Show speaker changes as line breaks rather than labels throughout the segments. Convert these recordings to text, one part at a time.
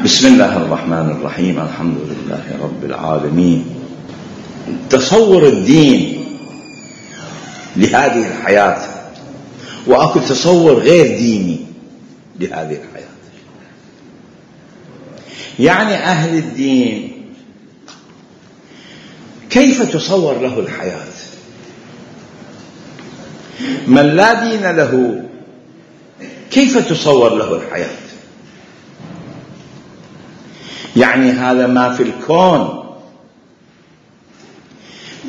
بسم الله الرحمن الرحيم. الحمد لله رب العالمين. تصور الدين لهذه الحياة وأكو تصور غير ديني لهذه الحياة. يعني أهل الدين كيف تصور له الحياة؟ من لا دين له كيف تصور له الحياة؟ يعني هذا ما في الكون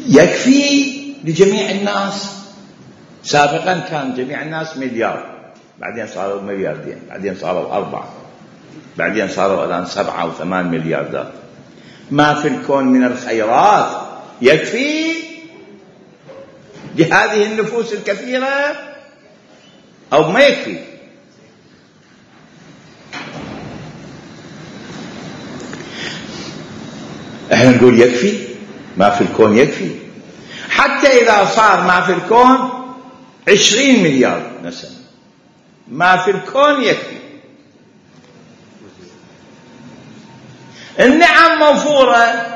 يكفي لجميع الناس. سابقا كان جميع الناس مليار، بعدين صاروا ملياردين، بعدين صاروا 4، بعدين صاروا الآن 7 و8 ملياردات. ما في الكون من الخيرات يكفي لهذه النفوس الكثيرة أو ما يكفي؟ احنا نقول يكفي، ما في الكون يكفي. حتى إذا صار ما في الكون 20 مليار نسمة، ما في الكون يكفي. النعم موفورة،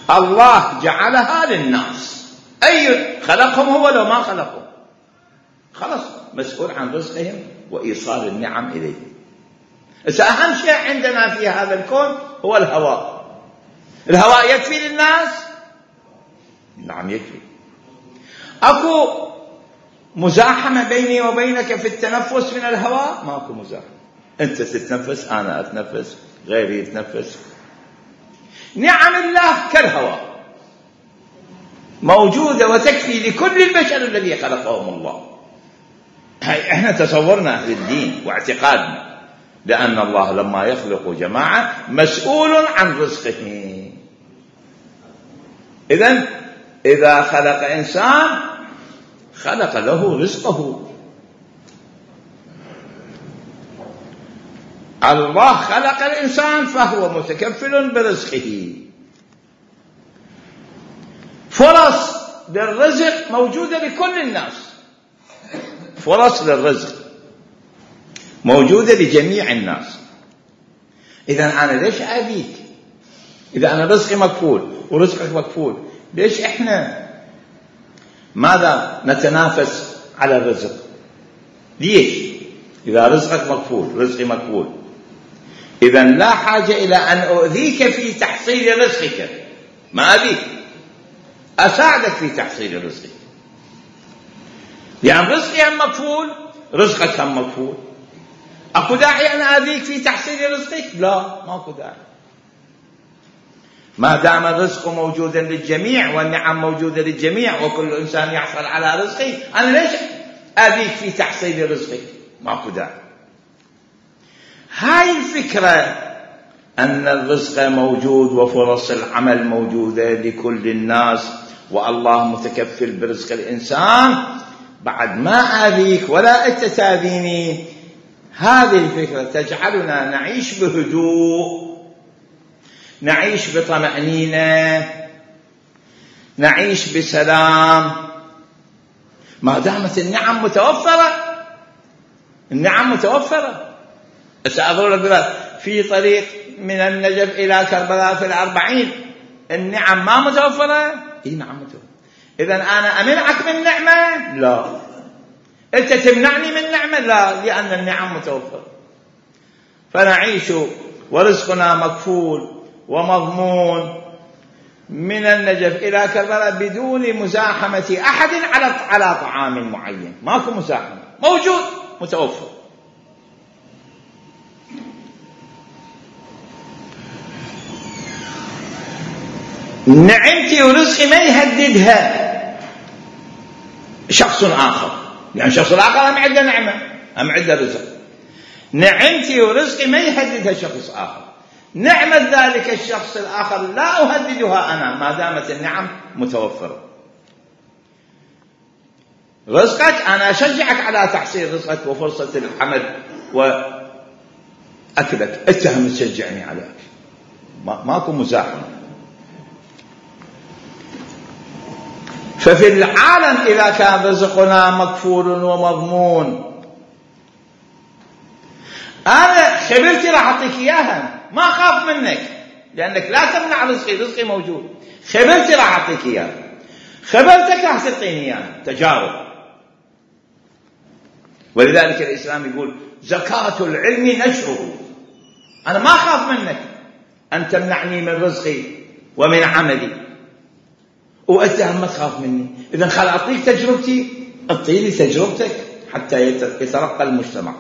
الله جعلها للناس. أي خلقهم هو لو ما خلقهم، خلص مسؤول عن رزقهم وإيصال النعم إليهم. إذا أهم شيء عندنا في هذا الكون هو الهواء. الهواء يكفي للناس؟ نعم يكفي. أكو مزاحمة بيني وبينك في التنفس من الهواء؟ ما أكو مزاحمة. أنت تتنفس، أنا أتنفس، غيري يتنفس. نعم الله كالهواء موجودة وتكفي لكل البشر الذي خلقهم الله. احنا تصورنا أهل الدين واعتقادنا، لأن الله لما يخلق جماعة مسؤول عن رزقه. إذا خلق إنسان خلق له رزقه. الله خلق الإنسان فهو متكفل برزقه. فرص للرزق موجودة لكل الناس، فرص للرزق موجودة لجميع الناس. إذن أنا ليش أبيك؟ إذا أنا رزقي مكفول ورزقك مكفول، ليش إحنا ماذا نتنافس على الرزق؟ ليش؟ إذا رزقك مكفول رزقي مكفول، إذن لا حاجة إلى أن أؤذيك في تحصيل رزقك. ما أبيك، أساعدك في تحصيل رزقك، لأن رزقي هم مكفول رزقك هم مكفول. أكو داعي أن أذيك في تحصيل رزقك؟ لا، ما أكو داعي. ما دام الرزق موجودا للجميع والنعم موجودة للجميع وكل إنسان يحصل على رزقه، أنا ليش أذيك في تحصيل رزقك؟ ما أكو داعي. هاي الفكرة أن الرزق موجود وفرص العمل موجودة لكل الناس والله متكفل برزق الإنسان، بعد ما أذيك ولا أنت تأذيني. هذه الفكرة تجعلنا نعيش بهدوء، نعيش بطمأنينة، نعيش بسلام، ما دامت النعم متوفرة. النعم متوفرة. سأضرب في طريق من النجف إلى كربلاء في 40، النعم ما متوفرة؟ إيه نعم متوفرة. إذن أنا أمنعك من نعمة؟ لا. أنت تمنعني من نعمة؟ لا، لأن النعم متوفرة. فنعيش ورزقنا مكفول ومضمون من النجف إلى كربلاء بدون مزاحمة أحد على طعام معين. ماكو مزاحمة، موجود متوفر. نعمتي ورزقي ما يهددها شخص آخر، يعني شخص الآخر هم عنده نعمة، هم عنده رزق. نعمتي ورزقي ما يهددها شخص آخر. نعمة ذلك الشخص الآخر لا أهددها أنا ما دامت النعم متوفرة. رزقك أنا أشجعك على تحصيل رزقك وفرصة العمل وأكلك، أنت هم تشجعني على أكل، ماكو مزاحمة. ففي العالم إذا كان رزقنا مكفول ومضمون، أنا خبرتي راح أعطيك إياها، ما أخاف منك لأنك لا تمنع رزقي، رزقي موجود. خبرتي راح أعطيك إياها، خبرتك راح تعطيني إياها، تجارب. ولذلك الإسلام يقول زكاة العلم نشره. أنا ما أخاف منك أن تمنعني من رزقي ومن عملي، وأنت ما تخاف مني. إذن خل أعطيك تجربتي، أعطيني تجربتك حتى يترقى المجتمع.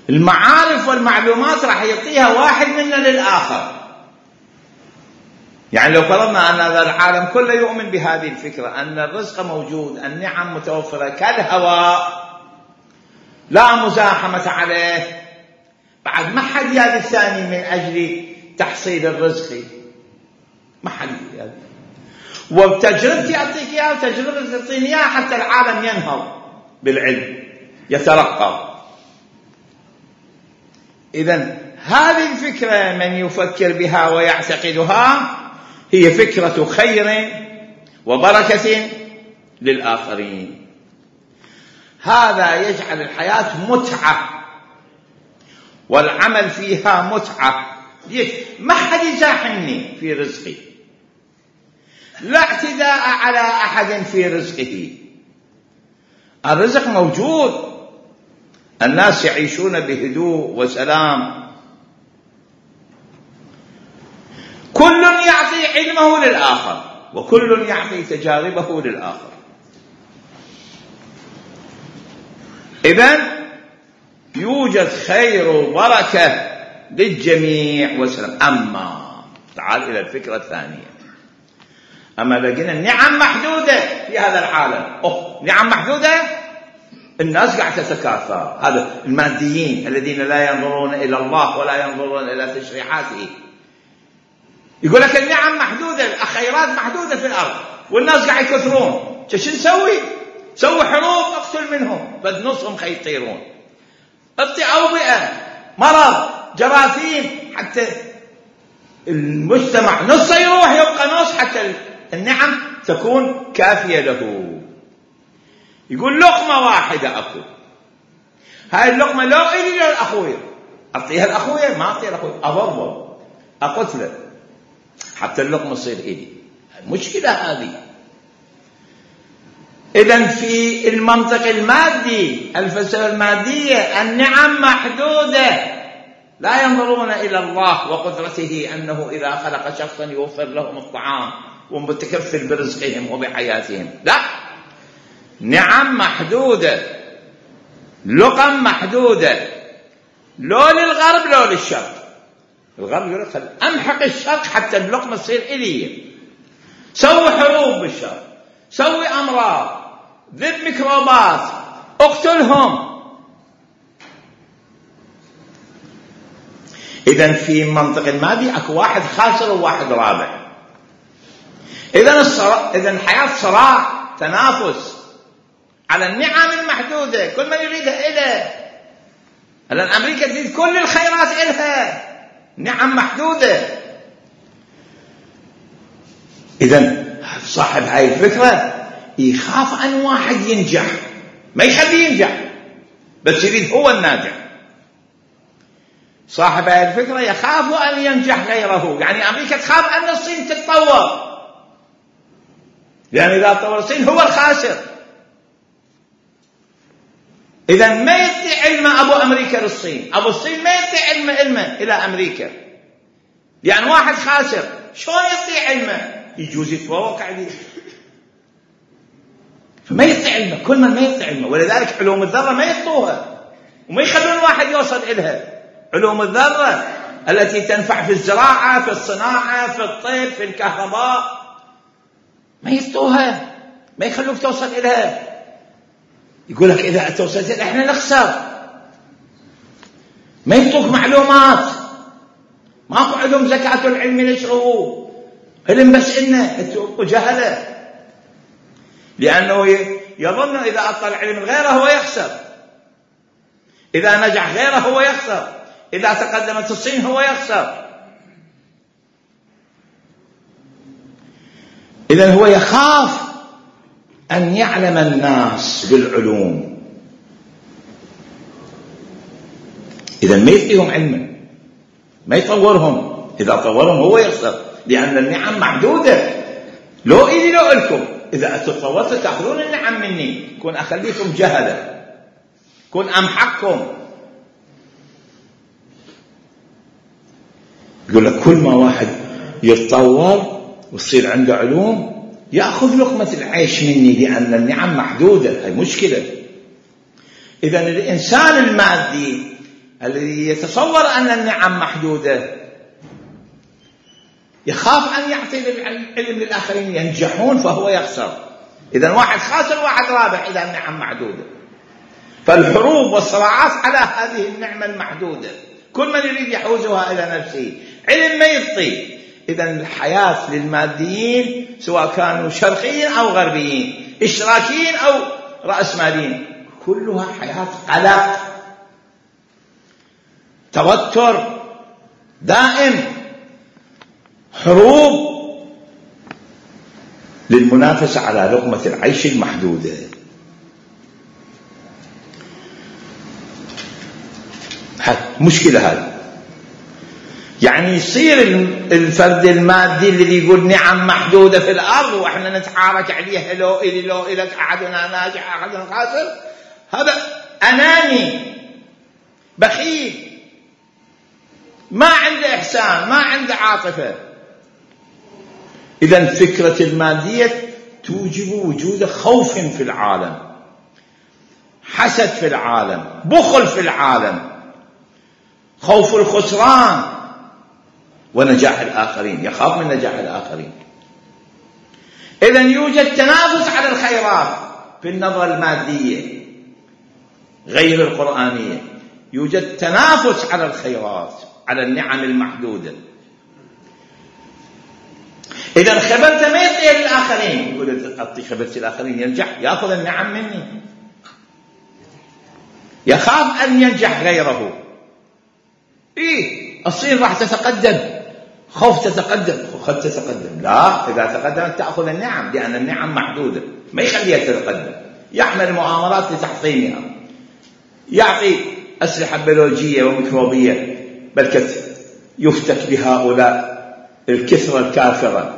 المعارف والمعلومات راح يعطيها واحد منا للآخر. يعني لو فرضنا أن هذا العالم كله يؤمن بهذه الفكرة أن الرزق موجود، النعم متوفرة كالهواء لا مزاحمة عليه، بعد ما حد يأتي الثاني من أجل تحصيل الرزق، ما حد يأتي. وبتجربتي أعطيك إياها وتجربتي تعطيني إياها حتى العالم ينهض بالعلم، يترقى. إذن هذه الفكرة من يفكر بها ويعتقدها هي فكرة خير وبركة للآخرين. هذا يجعل الحياة متعة والعمل فيها متعة. ليش؟ ما حد يزاحمني في رزقي، لا اعتداء على أحد في رزقه. الرزق موجود، الناس يعيشون بهدوء وسلام، كل يعطي علمه للآخر وكل يعطي تجاربه للآخر. إذن يوجد خير وبركة للجميع وسلام. أما تعال إلى الفكرة الثانية. أما لقينا النعم محدودة في هذا العالم، نعم محدودة، الناس قاعدة تتكاثر. هذا الماديين الذين لا ينظرون إلى الله ولا ينظرون إلى تشريعاته، يقول لك النعم محدودة، الخيرات محدودة في الأرض والناس قاعد يكثرون، شو نسوي؟ سوي حروب اقتل منهم، بد نصهم يطيرون، اعطي أوبئة، مرض، جراثيم، حتى المجتمع نص يروح يبقى نص، حتى النعم تكون كافية له. يقول لقمة واحدة أكل، هاي اللقمة لو إلي للأخوية أعطيها الأخوية، ما أعطيها الأخوية، أضربه أقتله حتى اللقمة تصير إلي. المشكلة هذه. إذن في المنطق المادي، الفلسفة المادية، النعم محدودة، لا ينظرون إلى الله وقدرته أنه إذا خلق شخصا يوفر لهم الطعام ومتكفل برزقهم وبحياتهم. لا، نعم محدودة، لقم محدودة، لو للغرب لو للشرق. الغرب يقول لك أمحق الشرق حتى اللقمة تصير إلي، سوي حروب بالشرق، سوي أمراض، ذب ميكروبات، اقتلهم. إذن في منطق المادي أكو واحد خاسر وواحد رابح. إذن الحياة صراع، تنافس على النعم المحدودة، كل من يريدها إله. الآن أمريكا تريد كل الخيرات إلها، نعم محدودة. إذن صاحب هاي الفكرة يخاف أن واحد ينجح، ما يخليه ينجح، بس يريد هو الناجح. صاحب هاي الفكرة يخاف أن ينجح غيره. يعني أمريكا تخاف أن الصين تتطور، يعني إذا تطور الصين هو الخاسر. إذا ما يدي علم أبو أمريكا للصين، أبو الصين ما يدي علمه إلى أمريكا، يعني واحد خاسر شلون يدي علمه؟ يجوز يتفوق عليه، فما يدي علمه. كل من ما يدي علمه. ولذلك علوم الذرة ما يعطوها وما يخلون واحد يوصل إلها. علوم الذرة التي تنفع في الزراعة، في الصناعة، في الطب، في الكهرباء، ما يعطوها، ما يخلوك توصل إلها. يقول لك إذا توصلت إحنا نخسر، ما يعطوك معلومات. ماكو علوم زكاة العلم نشره، علم بس إنه جهله، لأنه يظن إذا أعطى العلم غيره هو يخسر، إذا نجح غيره هو يخسر، إذا تقدمت الصين هو يخسر. إذن هو يخاف أن يعلم الناس بالعلوم. إذا ما يعطيهم علما، ما يطورهم، إذا طورهم هو يخسر، لأن النعم محدودة. لو إلي لو إلكم، إذا تطورتوا تأخذون النعم مني، كون أخليكم جهلة، كون أمحقكم. يقول لك كل ما واحد يتطور ويصير عنده علوم يأخذ لقمة العيش مني، لأن النعم محدودة. هاي مشكلة. إذن الإنسان المادي الذي يتصور أن النعم محدودة يخاف أن يعطي العلم للآخرين ينجحون فهو يخسر. إذن واحد خاسر واحد رابح إذا النعم محدودة. فالحروب والصراعات على هذه النعمة المحدودة، كل من يريد يحوزها إلى نفسه. علم ما يبطي. إذن الحياة للماديين سواء كانوا شرقيين أو غربيين، اشتراكيين أو رأسماليين، كلها حياة قلق، توتر دائم، حروب للمنافسة على لقمة العيش المحدودة. مشكلة هذه. يعني يصير الفرد المادي الذي يقول نعم محدودة في الأرض وإحنا نتعارك عليها، لو إلي لو إلك، أحدنا ناجح أحدنا خاسر، هذا أناني بخيل، ما عنده إحسان، ما عنده عاطفة. إذن فكرة المادية توجب وجود خوف في العالم، حسد في العالم، بخل في العالم، خوف الخسران ونجاح الآخرين، يخاف من نجاح الآخرين. إذن يوجد تنافس على الخيرات في النظرة المادية غير القرآنية، يوجد تنافس على الخيرات، على النعم المحدودة. إذا خبرت ما يعطي للآخرين، يقول أعطي خبرت الآخرين ينجح، يأخذ النعم مني، يخاف أن ينجح غيره. الصين راح تتقدم، خوف تتقدم، قد تتقدم. لا، إذا تقدمت تأخذ النعم، لأن النعم محدودة، ما يخليها تتقدم. يعمل مؤامرات لتحطيمها، يعطي أسلحة بيولوجية وميكروبية، بل يفتك بهؤلاء الكثرة الكافرة.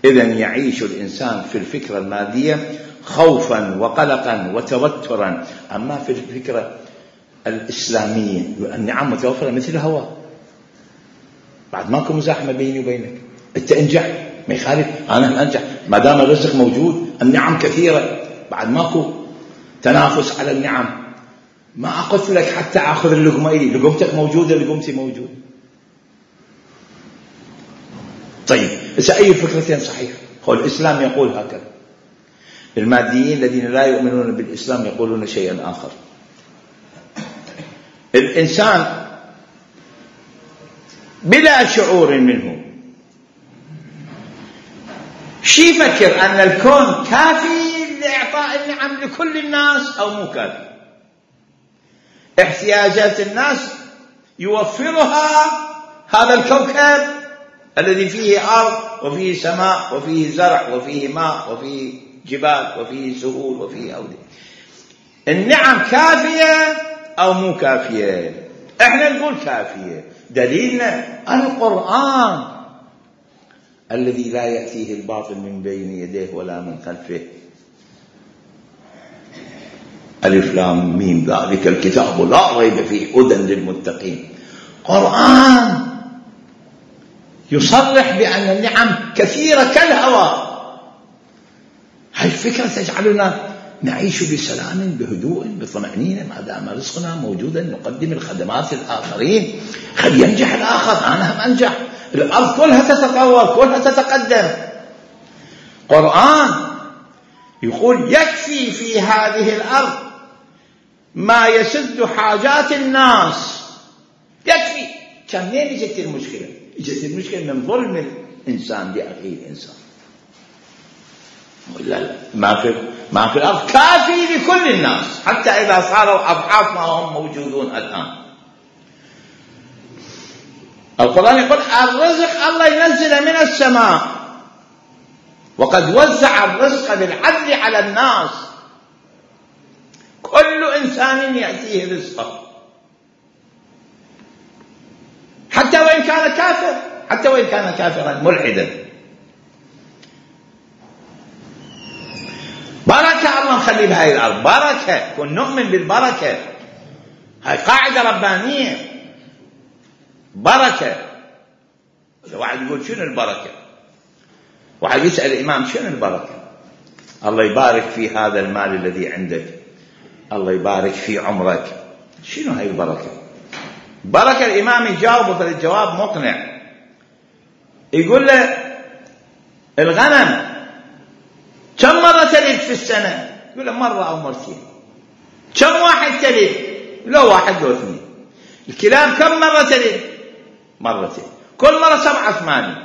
إذن يعيش الإنسان في الفكرة المادية خوفا وقلقا وتوترا. أما في الفكرة الإسلامية النعم متوفرة مثل الهواء، بعد ماكو مزاحمة بيني وبينك، أنت انجح ما يخالف، أنا أنجح ما دام الرزق موجود، النعم كثيرة، بعد ماكو تنافس على النعم. ما أقف لك حتى أخذ اللقمة إلي، لقمتك موجودة، لقمتي موجودة. طيب إذا أي فكرتين صحيح؟ هو الإسلام يقول هكذا، الماديين الذين لا يؤمنون بالإسلام يقولون شيئا آخر. الإنسان بلا شعور منه شي يفكر أن الكون كافي لإعطاء النعم لكل الناس أو مو كافي؟ احتياجات الناس يوفرها هذا الكوكب الذي فيه أرض وفيه سماء وفيه زرع وفيه ماء وفيه جبال وفيه سهول وفيه أودية. النعم كافية أو مو كافية؟ احنا نقول كافية. دليلنا القرآن الذي لا يأتيه الباطل من بين يديه ولا من خلفه. ألف لام ميم ذلك الكتاب لا ريب فيه هدى للمتقين. قرآن يصرح بأن النعم كثيرة كالهواء. هاي الفكرة تجعلنا نعيش بسلام بهدوء بطمأنينة، ما دام رزقنا موجودا نقدم الخدمات للآخرين، خل ينجح الآخر أنا هم أنجح. الأرض كلها تتطور، كلها تتقدم. قرآن يقول يكفي في هذه الأرض ما يسد حاجات الناس، يكفي. كم منين اجت المشكلة؟ اجت المشكلة من ظلم الإنسان لأخيه الإنسان. ولا ما في الأرض كافي لكل الناس، حتى إذا صاروا أضعاف ما هم موجودون الآن. القرآن يقول الرزق الله ينزل من السماء، وقد وزع الرزق بالعدل على الناس، كل إنسان يأتيه رزقه. حتى وإن كان كافرا ملحدا. بركة الله مخلي بهاي الأرض، بركة، كن نؤمن بالبركة. هاي قاعدة ربانية، بركة. واحد يقول شنو البركة؟ واحد يسأل الإمام شنو البركة؟ الله يبارك في هذا المال الذي عندك، الله يبارك في عمرك. شنو هاي البركة؟ بركة الإمام يجاوبه فالجواب مقنع. يقول له الغنم كم مرة تلد في السنة؟ يقول له مرة أو مرتين. كم واحد تلد؟ لو واحد لو اثنين. الكلاب كم مرة تلد؟ مرتين. كل مرة 7 8.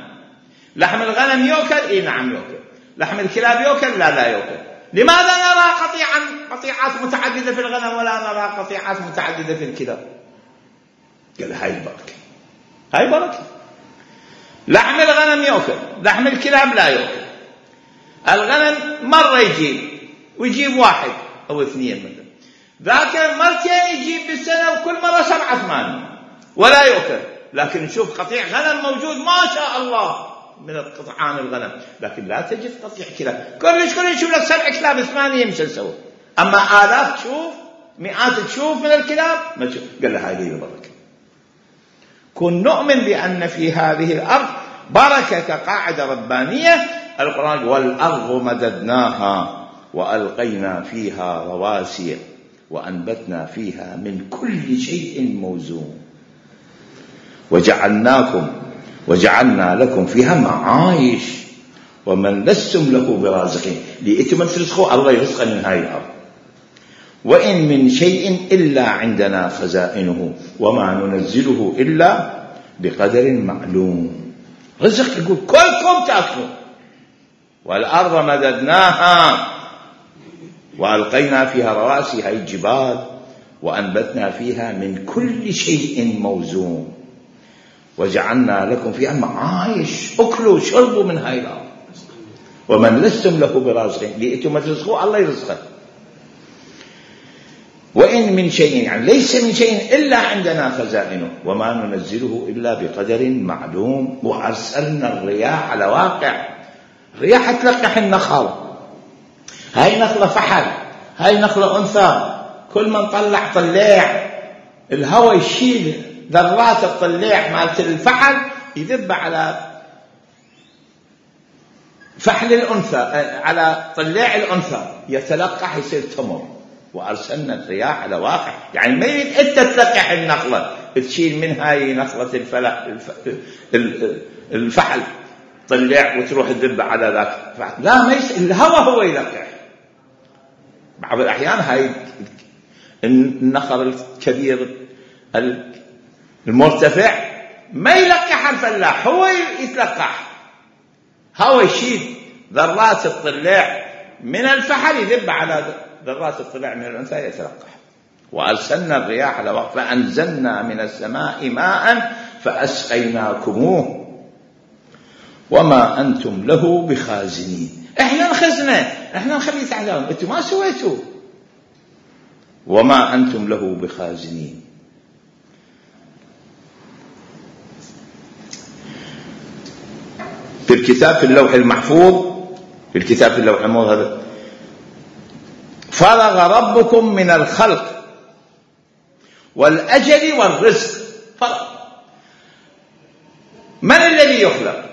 لحم الغنم يؤكل؟ إيه نعم يؤكل. لحم الكلاب يؤكل؟ لا يؤكل. لماذا نرى قطيعات متعددة في الغنم ولا نرى قطيعات متعددة في الكلاب؟ قال هاي البركة، هاي بركة. لحم الغنم يؤكل، لحم الكلاب لا يؤكل. الغنم مرة يجيب ويجيب 1 أو 2 مثلا، ذاك مرتين يجيب بالسنة وكل مرة 7 8 ولا يؤكل. لكن نشوف قطيع غنم موجود ما شاء الله من القطعان الغنم، لكن لا تجد قطيع كلاب. كلش يشوف لك 7 كلاب 8 مش نسوي، أما آلاف تشوف، مئات تشوف من الكلاب ما تشوف. قال له هذه البركة. كن نؤمن بأن في هذه الأرض بركة كقاعدة ربانية. القرآن والأرض مددناها وألقينا فيها رواسي وأنبتنا فيها من كل شيء موزون وجعلنا لكم فيها معايش ومن لستم له برازقين. لإتمن ترزقوا الله يرزق من هاي الأرض. وإن من شيء إلا عندنا خزائنه وما ننزله إلا بقدر معلوم. رزق يقول كلكم تأكلون. والأرض مددناها وألقينا فيها رواسي، هاي الجبال، وأنبتنا فيها من كل شيء موزون وجعلنا لكم فيها معايش. أكلوا شربوا من هاي الأرض ومن لستم له برازقين. لئتم ترزقوا الله يرزقه. وإن من شيء يعني ليس من شيء إلا عندنا خزائنه وما ننزله إلا بقدر معلوم. وأرسلنا الرياح على واقع. الرياح تلقح النخل، هاي نخلة فحل، هاي نخلة أنثى، كل ما نطلع طليع الهواء يشيل ذرات الطليع مالت الفحل يذب على فحل الأنثى، على طليع الأنثى يتلقح يصير تمر. وأرسلنا الرياح على واقع، يعني ما يريد أنت تلقح النخلة تشيل من هاي نخلة الفحل طلع وتروح تذب على ذاك الفحل. لا، ما الهواء هو يلقح. بعض الأحيان هاي النخل الكبير المرتفع ما يلقح الفلاح، هو يتلقح، هو يشيل ذرات الطلع من الفحل يذب على ذرات الطلع من الأنثى يتلقح. وأرسلنا الرياح على وقت فأنزلنا من السماء ماء فأسقيناكموه وما أنتم له بخازنين. إحنا الخزنة، إحنا نخلي تعلم، أنتم ما سويتوا. وما أنتم له بخازنين. في الكتاب في اللوح المحفوظ، في الكتاب في اللوح المحفوظ فرغ ربكم من الخلق والأجل والرزق. فرغ. من الذي يخلق؟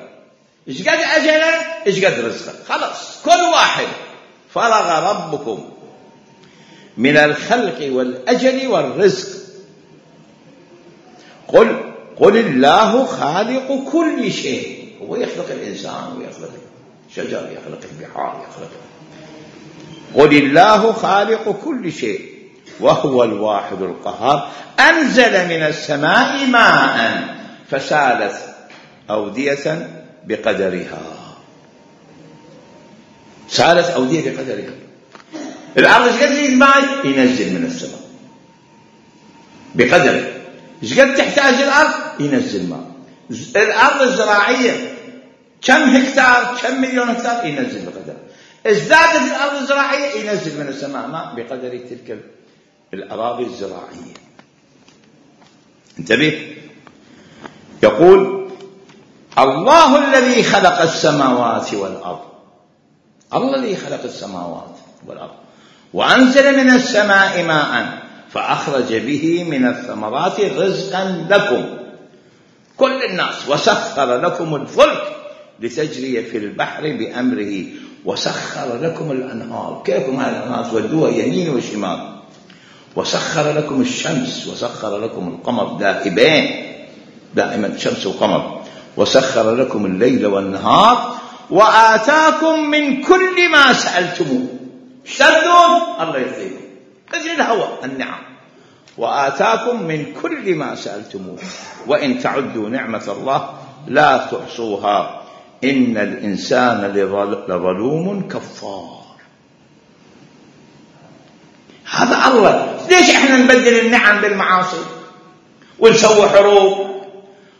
إيش قد أجله إيش قد رزقه، خلاص كل واحد. فرغ ربكم من الخلق والأجل والرزق. قل الله خالق كل شيء. هو يخلق الإنسان ويخلق الشجر، يخلق البحار، يخلق. قل الله خالق كل شيء وهو الواحد القهار. أنزل من السماء ماء فسالت أودية بقدرها. سالت أودية بقدرها. الأرض ايش قد تريد ماء ينزل من السماء بقدره. ايش قد تحتاج الأرض ينزل ماء. الأرض الزراعية كم هكتار، كم مليون هكتار ينزل بقدره. ازدادت الأرض الزراعية ينزل من السماء ماء بقدر تلك الأراضي الزراعية. انتبه. يقول الله الذي خلق السماوات والأرض، الله الذي خلق السماوات والأرض، وأنزل من السماء ماء فأخرج به من الثمرات رزقا لكم كل الناس، وسخر لكم الفلك لتجري في البحر بأمره، وسخر لكم الأنهار. كيف ما الأنهار تودوها يمين وشمال. وسخر لكم الشمس، وسخر لكم القمر دائبين، دائما شمس وقمر. وسخر لكم الليل والنهار، وآتاكم من كل ما سألتموه. شردون الله يعطيكم مثل الهواء النعم. وآتاكم من كل ما سألتموه وإن تعدوا نعمة الله لا تحصوها إن الإنسان لظلوم كفار. هذا الله. ليش احنا نبدل النعم بالمعاصي ونسوي حروب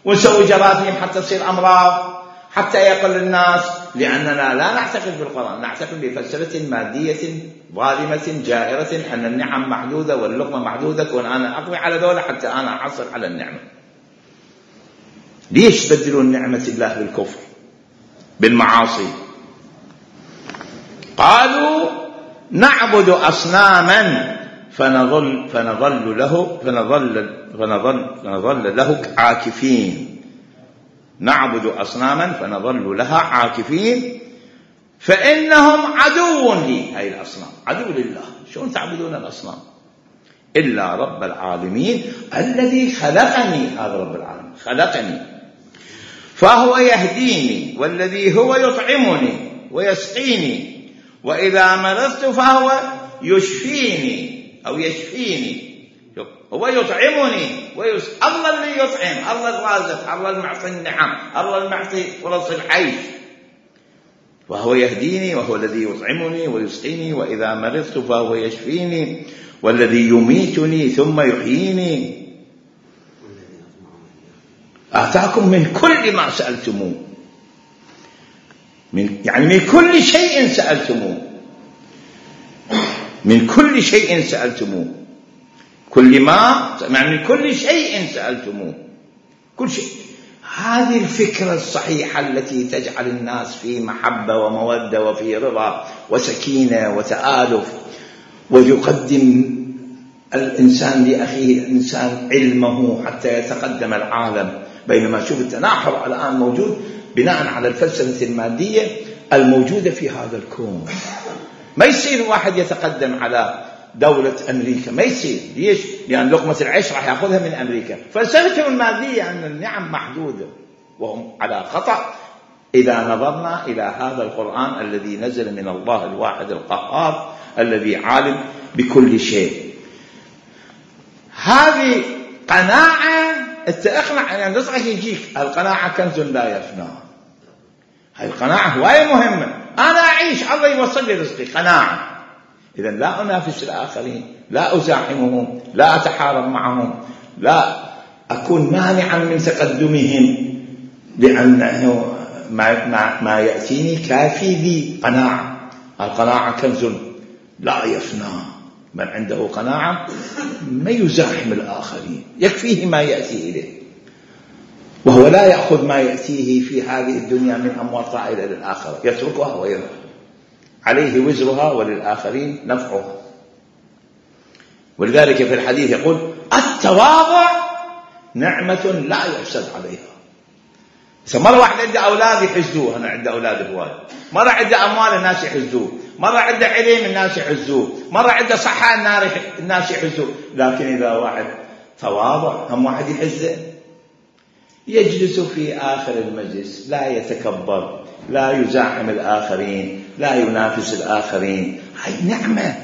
ونسوي جراثيم حتى تصير أمراض حتى يقل الناس؟ لأننا لا نعتقد بالقرآن، نعتقد بفلسفة مادية ظالمة جائرة أن النعم محدودة واللقمة محدودة، كون أنا أقوي على دولة حتى أنا أحصل على النعمة. ليش بدلون نعمة الله بالكفر بالمعاصي؟ قالوا نعبد أصناما فنظل له عاكفين. نعبد أصناما فنظل لها عاكفين فإنهم عدو لي. هاي الأصنام عدو لله. شلون تعبدون الأصنام؟ إلا رب العالمين الذي خلقني. هذا رب العالمين خلقني فهو يهديني، والذي هو يطعمني ويسقيني، وإذا مرضت فهو يشفيني أو يشفيني. هو يطعمني الله اللي يطعم، الله الرازق، الله المعطي النعم، الله المعطي فرص العيش. وهو يهديني وهو الذي يطعمني ويسقيني، وإذا مرضت فهو يشفيني، والذي يميتني ثم يحييني. آتاكم من كل ما سألتموه، يعني من كل شيء سألتموه، من كل شيء سألتموه، كل ما يعني من كل شيء سألتموه، كل شيء. هذه الفكرة الصحيحة التي تجعل الناس في محبة ومودة وفي رضا وسكينة وتآلف، ويقدم الإنسان لأخيه الإنسان علمه حتى يتقدم العالم. بينما شوف التناحر الآن موجود بناء على الفلسفة المادية الموجودة في هذا الكون. ما يصير واحد يتقدم على دولة أمريكا، ما يصير. ليش؟ لأن لقمة العيش راح يأخذها من أمريكا. فلسفتهم المادية أن النعم محدودة، وهم على خطأ إذا نظرنا إلى هذا القرآن الذي نزل من الله الواحد القهار الذي عالم بكل شيء. هذه قناعة اقنع أن رزقك يجيك. القناعة كنز لا يفنى. هذه القناعة هواية مهمة. أنا أعيش الله يوصل لي رزقي، قناعة. إذن لا أنافس الآخرين، لا أزاحمهم، لا أتحارب معهم، لا أكون مانعا من تقدمهم، لأنه ما يأتيني كافي لي. قناعة. القناعة كنز لا يفنى. من عنده قناعة ما يزاحم الآخرين، يكفيه ما يأتي إليه، وهو لا يأخذ ما يأتيه في هذه الدنيا من أموال طائلة للآخرة، يتركها ويروح، عليه وزرها وللآخرين نفعها. ولذلك في الحديث يقول التواضع نعمة لا يحسد عليها. مرة واحد عنده أولاد يحزوه، أنا عنده أولاد هواي. مرة عنده أموال الناس يحزوه، مرة عنده علم الناس يحزوه، مرة عنده صحة الناس يحزوه. لكن إذا واحد تواضع هم واحد يحزه، يجلس في آخر المجلس، لا يتكبر، لا يزاحم الآخرين، لا ينافس الآخرين. هاي نعمة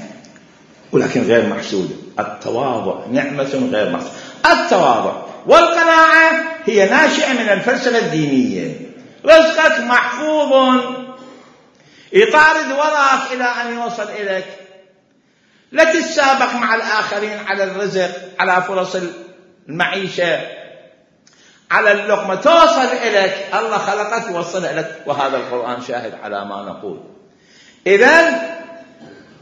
ولكن غير محسودة. التواضع نعمة غير محسودة. التواضع والقناعة هي ناشئة من الفلسفة الدينية. رزقك محفوظ، يطارد وراك إلى أن يوصل إليك. لا تتسابق مع الآخرين على الرزق، على فرص المعيشة، على اللقمة، توصل إليك. الله خلقك ووصل إليك، وهذا القرآن شاهد على ما نقول. إذن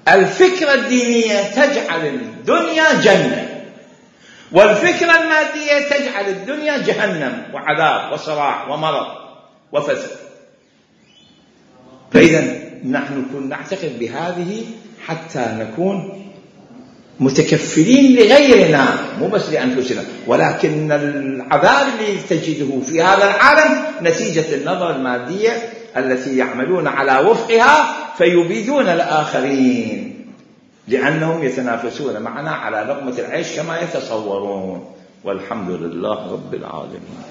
الفكرة الدينية تجعل الدنيا جنة، والفكرة المادية تجعل الدنيا جهنم وعذاب وصراع ومرض. وفسد. فإذا نحن نعتقد بهذه حتى نكون متكفلين لغيرنا مو بس لأنفسنا، ولكن العذاب اللي تجده في هذا العالم نتيجة النظرة المادية التي يعملون على وفقها فيبيدون الآخرين لأنهم يتنافسون معنا على لقمة العيش كما يتصورون. والحمد لله رب العالمين.